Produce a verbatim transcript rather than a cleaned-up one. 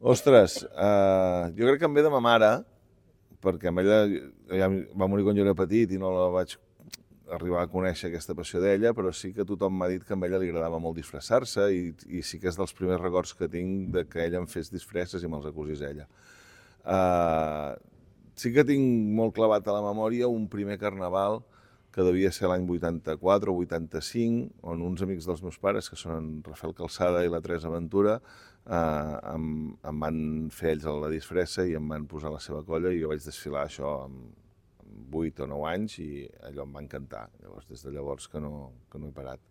Ostres, uh, jo crec que em ve de ma mare, perquè amb ella ja va morir quan jo era petit i no la vaig arribar a conèixer aquesta passió d'ella, però sí que tothom m'ha dit que a ella li agradava molt disfressar-se i, i sí que és dels primers records que tinc de que ella em fes disfresses i me'ls acusés ella. Uh, sí que tinc molt clavat a la memòria un primer carnaval que devia ser l'any vuitanta-quatre o vuitanta-cinc, on uns amics dels meus pares, que són en Rafael Calçada i la Teresa Ventura, eh, em, em van fer ells la disfressa i em van posar la seva colla i jo vaig desfilar això amb, amb vuit o nou anys i allò em va encantar. Llavors, des de llavors que no, que no he parat.